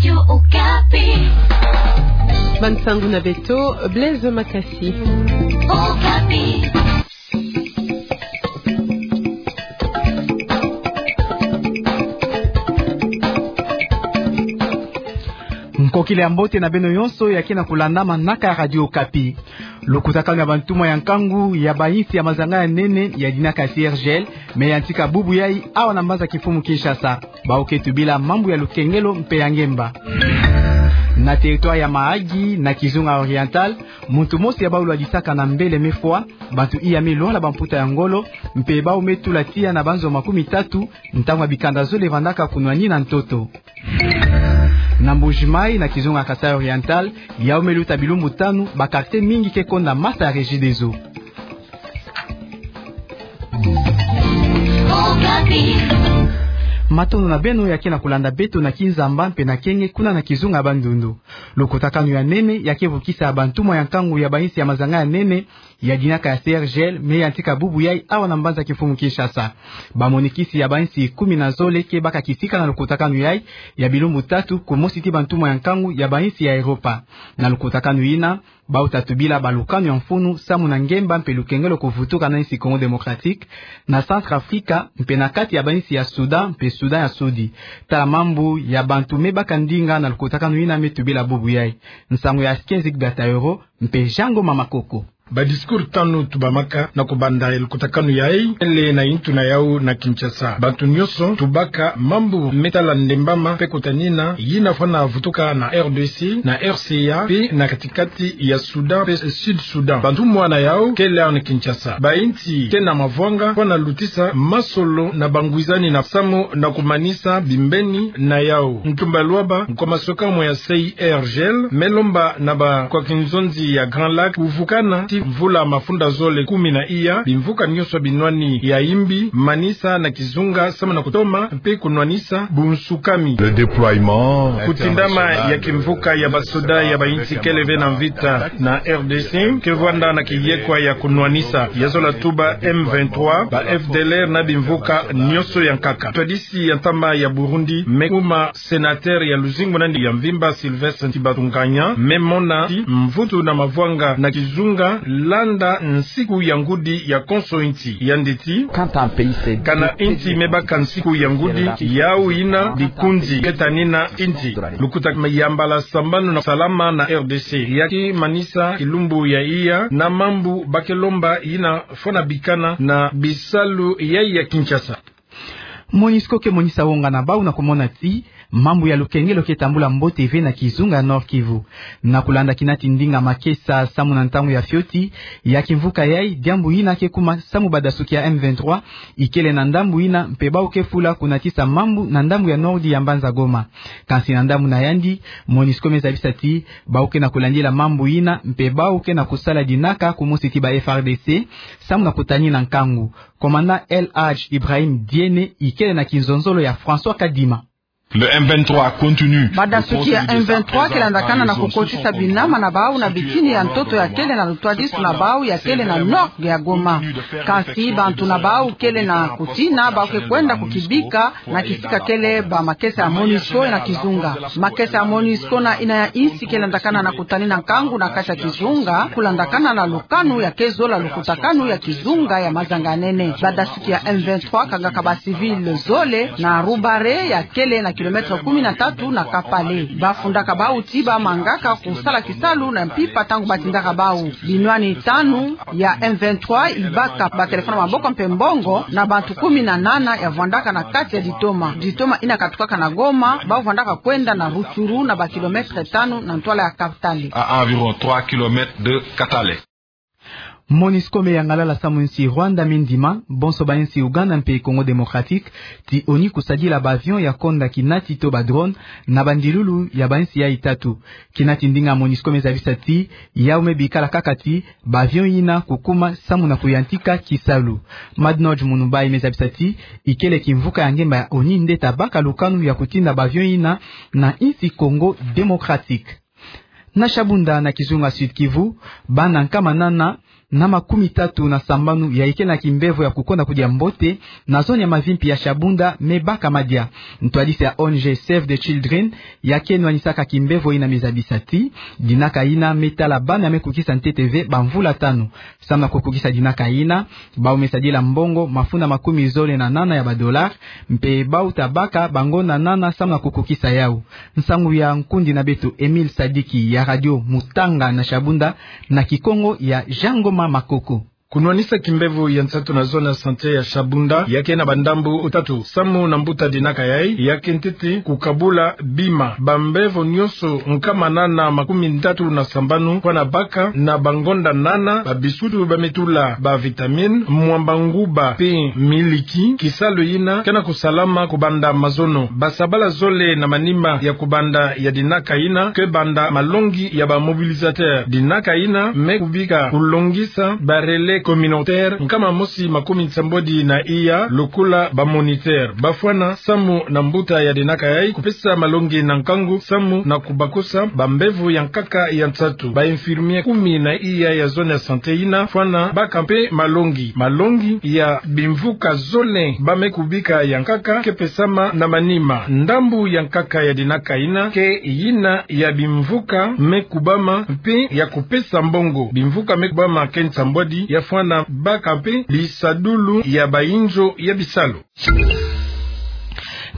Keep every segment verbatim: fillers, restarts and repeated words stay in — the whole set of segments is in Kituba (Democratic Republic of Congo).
Radio Okapi. Bansangu na beto, Blaise Makasi. Okapi. Nkokila ya mbote na beno nyonso ya ke na kulanda manaka ya Radio Okapi. Lukutakanu ya bantumwa ya nkangu ya bainsi ya mazanga ya nene ya dinaka ya C R G L me yantika bubu yai awa na mbanza kimfumu Kinshasa. Bawu ke tubila mambu ya lukengelo mpe ya ngemba. Na territoire ya Mahagi, na kizunga Oriental, muntu mosi ya bawu lwadisaka na mbele me fwa, bantu iya me lwala bamputa ya ngolo, mpe bawu me tula tiya na banzo makumi tatu, ntangu ya bikanda zole vandaka kunwanina ntoto. Na Mbuji-Mayi, na kizunga Kasaï Oriental, yawu me luta bilumbu tanu, ba quartier mingi ke konda masa ya Regideso. Matondo na beno ya ke na kulanda beto na Kinzamba mpe na Kenge kuna na kizunga Bandundu. Lukutakanu ya nene ya ke vukisa bantumwa ya nkangu ya bainsi ya mazanga ya nene ya dinaka ya C R G L me yantika bubu yai awa na mbanza kimfumu Kinshasa. Bamonikisi ya bainsi kumi na zole ke baka kisika na lukutakanu yai ya bilumbu tatu, kumosi ti bantumwa ya nkangu ya bainsi ya Europa. Na lukutakanu yina, bawu ta tubila balukanu ya mfunu samu na ngemba mpe lukengelo kuvutuka na insi Congo Démocratique, na Centrafrique, mpe na kati ya bainsi ya Soudan mpe Soudan ya Sudi. Tala mambu ya bantu me baka ndinga na lukutakanu yina me tubila bubu yai. Nsangu ya Askenzik Gataeuro mpe Jean Ngoma Makoko. Ba discours tanu tubamaka na kubanda ya lukutakanu yai, ele na intu na yawu na Kinshasa. Bantu nyonso tubaka mambu me tala ndembama mpe kutanina yina fwana vutuka na R D C, na R C A, mpe na katikati ya Soudan mpe Sud Soudan. Bantumwa na yawu kele awa na Kinshasa. Bainsi ke na mavwanga fwana lutisa masolo na bangwizani na samu na kumanisa bimbeni na yawu. Ntumba Luaba, nkwa masoka mwe ya C R G L, me lomba na bakwa kinzonzi ya Grand Lac kuvukana ti mvula mafunda zole kumi na iya, bimvuka nyonso binwani ya imbi, manisa na kizunga samu na kutoma mpe kunwanisa bunsukami. Le déploiement international. Kutindama ya kimvuka ya basoda ya bainsi kele ve na mvita na R D C ke vwanda na kiyekwa ya kunwanisa. Ya zola tuba M vingt-trois, ba F D L R na bimvuka nyonso ya nkaka. Twadisi ya ntama ya Burundi me kuma sénateur ya luzingu na yandi ya mvimba Sylvestre Ntibantunganya me mona ti mvutu na mavwanga na kizunga landa nsiku ya ngudi ya konso insi. Yandi ti, kana insi me baka nsiku ya ngudi, yawu yina likunzi ke tanina insi. Lukuta ya mbala sambanu na salama na R D C. Ya ke manisa kilumbu ya iya na mambu ba ke lomba yina fwana bikana na bisalu ya ya Kinshasa. Monusco ke monisa wonga na bawu na kumona ti mambu ya lukengelo ke tambula mbote ve na kizunga Nord-Kivu. Na kulanda kinati ndinga makesa samu na ntangu ya fioti ya kimvuka yai, diambu yina ke kuma samu badasuki ya M vingt-trois ikele na ndambu yina mpe bawu ke fula kunatisa mambu na ndambu ya Nord ya mbanza Goma. Kansi na ndambu na yandi, Monusco me zabisa ti bawu ke na kulandila mambu yina mpe bawu ke na kusala dinaka kumosi ti ba F A R D C samu na kutanina nkangu. Commandant El Hadj Ibrahim Diene ikele na kinzonzolo ya François Kadima. Le M vingt-trois continue. Badasuki ya M vingt-trois ke landakana na kukotisa binama na bawu na bitini ya ntoto ya kele na lutwadisu na bawu ya kele na nord ya Goma. Kansi bantu na bawu kele na kutina, bawu ke kwenda kukibika na kisika kele ba makesa ya Monusco na kizunga. Makesa ya Monusco na yina ya insi ke landakana na kutanina nkangu na kati ya kizunga, kulandakana na lukanu ya ke zola lukutakanu ya kizunga ya mazanga nene. Badasuki ya M vingt-trois kangaka ba civil zole na Roubare ya kele na kilomètre kumi na tatu na Kapale. Ba fundaka bawu ti ba mangaka kusala kisalu na mpimpa ntangu ba tindaka bawu. Binwani tanu ya M vingt-trois ibaka ba téléphone ya maboko mpe mbongo na bantu kumi na nana ya vwandaka na kati ya ditoma. Ditoma yina katukaka na Goma, bawu vwandaka kwenda na Rutshuru na ba kilomètre tanu na ntwala ya Katale. À environ trois kilomètres de Katale. Monusco me yangalala samu nsi Rwanda me ndima, bonso ba insi Ouganda mpe Congo Démocratique, ti ONU kusadila ba avion ya konda kinati to ba drone na bandilulu ya ba insi yai tatu. Kinati ndinga Monusco me zabisa ti yawu me bikala kaka ti ba avion yina kukuma samu na kuyantika kisalu. Madnodj Munubai me zabisa ti ikele kimvuka ya ngemba ya ONU nde ta baka lukanu ya kutinda ba avion yina na insi Congo Démocratique. Na Shabunda na kizunga Sud-Kivu, bana nkama nana na makumi tatu na sambanu ya ikele na kimbevo ya kukonda kudia mbote na zone ya mavimpi ya Shabunda me baka madia. Ntwadisi ya O N G Save the Children, ya ke nwanisaka kimbevo yina, me zabisa ti dinaka yina me tala bana me kukisa ntete ve bamvula tanu. Samu na kukukisa dinaka yina, bau me sadila mbongo mafunda makumi zole na nana ya badollars, mpe bau ta baka bangonda nana samu na kukukisa yau. Nsangu ya nkundi na beto Emile Sadiki ya Radio Mutanga na Shabunda, na kikongo ya Jean Ngoma Makoko. Kunwanisa kimbevo ya nsatu na zone ya santé ya Shabunda, ya ke na bandambu tatu. Samu na mbuta dinaka yai, ya ke ntete kukabula bima. Bambevo nyonso nkama nana makumi tatu na sambanu fwana baka na bangonda nana, babisutu ba me tula bavitamine, mwamba nguba mpe miliki. Kisalu yina ke na kusalama kubanda mazono. Basabala zole na manima ya kubanda ya dinaka yina ke banda malongi ya ba mobilisateurs. Dinaka yina me kubika kulongisa ba relais communautaires nkama mosi makumi nsambwadi na iya, lokola ba moniteurs. Bafwana samu na mbuta ya dinaka yai kupesa malongi na nkangu samu na kubakusa bambevo ya nkaka ya nsatu. Ba infirmiers kumi na iya ya zone ya santé yina fwana baka mpe malongi. Malongi ya bimvuka zole ba me kubika ya nkaka ke pesama na manima. Ndambu ya nkaka ya dinaka yina ke yina ya bimvuka me kubama mpe ya kupesa mbongo. Bimvuka me kubama ke nsambwadi, ya fwana baka mpe bisadulu ya bayinzo ya bisalu.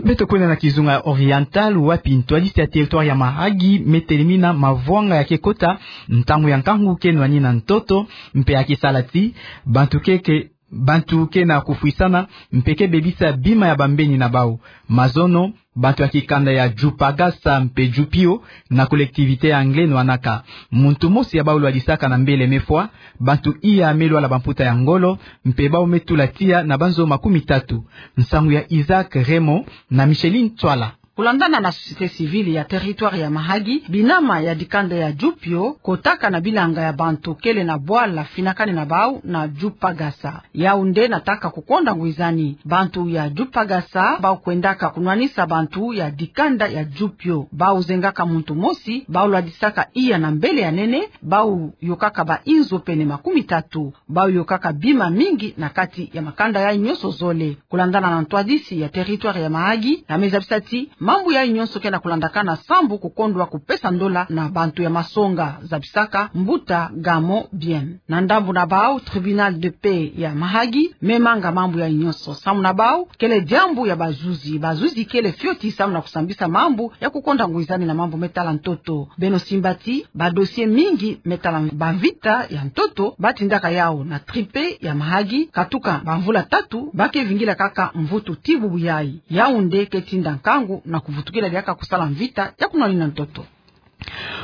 Beto kwenda na kizunga ya Oriental, wapi ntwadisi ya territoire ya Mahagi me telemina mavwanga ya ke kota ntangu ya nkangu ke nwani na ntoto, mpe ya ke sala ti bantu ke, ke, bantu ke na kufwisana mpe ke bebisa bima ya bambeni na bau. Mazono, bantu ya kikanda ya Djupagasa mpe Djupio, na collectivité ya Anglais, nwanaka. Muntu mosi ya bau lwadisaka na mbele me fwa, bantu iya me lwala bamputa ya ngolo, mpe bau me tula tiya na banzo makumi tatu. Nsangu ya Isaac Raymond na Micheline Tswala. Kulandana na société civile ya territoire ya Mahagi, binama ya dikanda ya Djupio kotaka na bilanga ya bantu kele na bwala finakani na bau na Djupagasa. Yau nde nataka kukonda ngwizani. Bantu ya Djupagasa bau kwendaka kunwanisa bantu ya dikanda ya Djupio. Bau zengaka muntu mosi, bau lwadisaka iya na mbele ya nene, bau yokaka ba inzo pene makumi tatu. Bau yokaka bima mingi na kati ya makanda yai nyonso zole. Kulandana na ntwadisi ya territoire ya Mahagi, ya me zabisa ti mambu yai nyonso ke na kulandakana sambu kukondwa kupesa ndola na bantu ya masonga, zabisaka mbuta Gamo Bien. Na ndambu na bau, tribunal de paix ya Mahagi me manga mambu yai nyonso. Samu na bau, kele diambu ya bazuzi. Bazuzi kele fioti samu na kusambisa mambu ya kukonda ngwizani na mambu me tala ntoto. Beno simba ti ba dossiers mingi me tala bamvita ya ntoto ba tindaka yau na tribunal ya Mahagi, katuka bamvula tatu, ba ke vingila kaka mvutu ti bubu yai. Yau nde ke tinda nkangu na kuvutukila diaka kusala mvita ya kunwanina ntoto.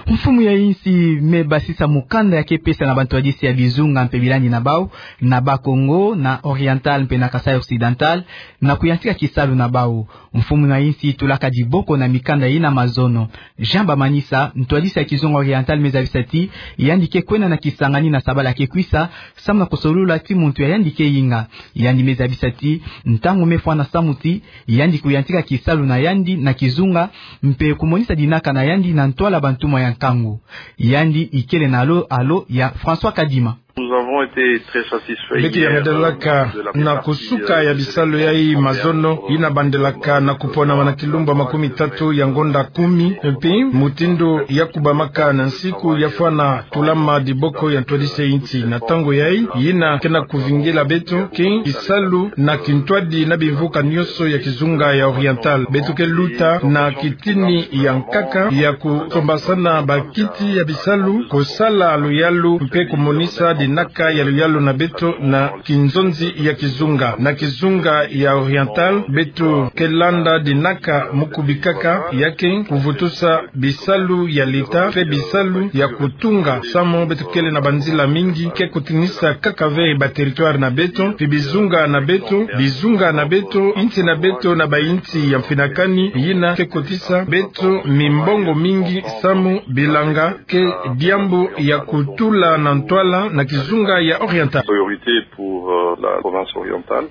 Mfumu ya insi me basisa mukanda ya ke pesa na bantwadisi ya bizunga mpe bilandi na bau, na Bas-Congo, na Oriental mpe na Kasaï Occidental, na kuyantika kisalu na bau. Mfumu na insi tulaka diboko na mikanda yina mazono. Jean Bamanisa, ntwadisi ya kizunga Oriental, me zabisa ti yandi ke kwenda na kisangani na sabala ke kwisa, samu na kusolula ti muntu ya yandi ke yinga. Yandi me zabisa ti ntangu me fwana samu ti yandi kuyantika kisalu na yandi na kizunga, mpe kumonisa dinaka na yandi na ntwala bantumwa ya nkangu. Yandi ikele na alo, alo ya François Kadima. Nous avons été très satisfaits. Beto ya madelaka na kusuka ya bisalu yai mazono, yina bandelaka na kuponama na kilumbu makumi tatu ya ngonda kumi, mpe mutindu ya kubamaka na nsiku ya fwana tulama diboko ya ntwadisi ya insi. Na ntangu yai, yina ke na kuvingila beto ke kisalu na kintwadi na bimvuka nyonso ya kizunga ya Oriental. Beto ke luta na kitini ya nkaka ya kusombasana bakiti ya bisalu, kusala luyalu mpe kumonisa dinaka ya luyalu na beto na kinzonzi ya kizunga. Na kizunga ya Oriental, beto ke landa dinaka mu kubikaka, ya ke kuvutusa bisalu ya leta mpe bisalu ya kutunga, samu beto kele na banzila mingi ke kutinisa kaka ve ba territoire na beto, mpe bizunga na beto, bizunga na beto, insi na beto na bainsi ya mfinakani, yina ke kotisa beto mimbongo mingi, samu bilanga ke diambu ya kutula na ntwala na kizunga ya Oriental. Priorité pour, euh, la province orientale.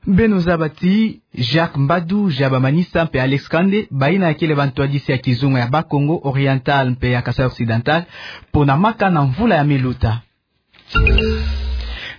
Beno zaba ti Jacques Mbadu, Jaba Manisa mpe Alex Kande, bayina ya kele bantwadisi ya kizunga ya Bas-Congo Oriental mpe ya Kasaï Occidental, pona maka na mvula ya me luta.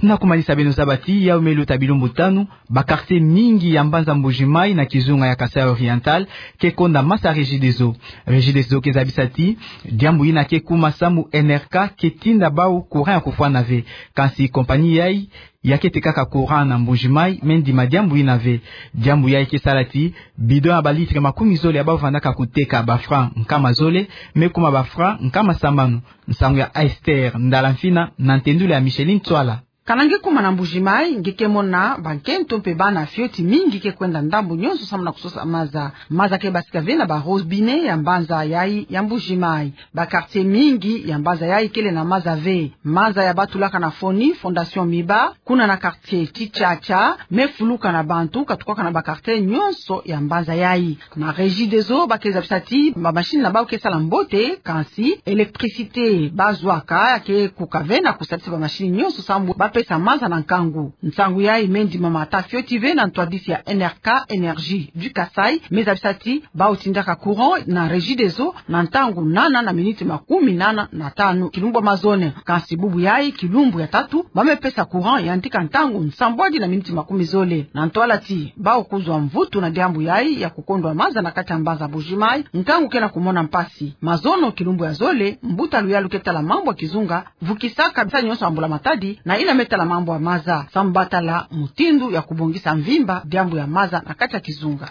Na kumanisa, beno zaba ti yawu me luta bilumbu tanu, ba quartier mingi ya mbanza Mbuji-Mayi na kizunga ya Kasaï Oriental ke konda masa Regideso. Regideso ke zabisa ti diambu yina ke kuma sambu N R K ke tinda bawu courant ya kufwana ve. Kansi compagnie yayi ya kete kaka courant na Mbuji-Mayi, me ndima diambu yina ve. Diambu yayi ke sala ti bidon ya ba litre makumi zole ya bawu vandaka kuteka ba francs nkama zole, me kuma ba francs nkama sambanu. Nsangu ya Esther Ndala Mfina na ntendulu ya Micheline Tswala. Kana nge kuma na Mbuji-Mayi, nge ke mona bankento mpe bana fioti mingi ke kwenda ndambu nyonso sambu na kusosa maza. Maza ke basika ve na ba robinet ya mbanza yayi ya Mbuji-Mayi. Ba quartier mingi ya mbanza yayi kele na maza ve. Maza ya batulaka na FONI, Fondation Miba, kuna na quartier Tchatcha, me fuluka na bantu katukwaka na ba quartier nyonso ya mbanza yayi. Na Regideso ba ke zabisa ti ba machine na bawu ke sala mbote, kansi électricité ba zwaka ya ke kuka ve na kusalisa ba machine nyonso sambu ba pesa maza na nkangu. Nsangu yayi me ndima mata fioti ve na ntwadisi ya N R K, Énergie du Kasaï, me zabisa ti bawu tindaka courant na Regideso na ntangu nana na miniti makumi nana na tanu kilumbu ya mazono. Kansi bubu yayi, kilumbu ya tatu, ba me pesa courant yandika ntangu nsambwadi na miniti makumi zole. Na ntwala ti bawu kuzwa mvutu na diambu yayi ya kukondwa maza na kati ya mbanza Mbuji-Mayi, nkangu ke na kumona mpasi. Mazono kilumbu ya zole, mbuta luyalu ke tala mambu ya kizunga vukisaka bisalu nyonso ya mbula matadi, na yina me tala mambu ya maza, sambu ba tala mutindu ya kubongisa mvimba diambu ya maza na kati ya kizunga.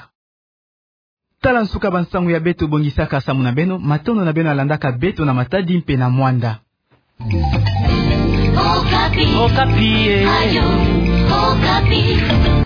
Tala nsuka ba nsangu ya beto bongisaka sambu na beno. Matondo na beno ya landaka beto na matadi mpe na mwanda. Okapi. Okapi, eh. Radio Okapi.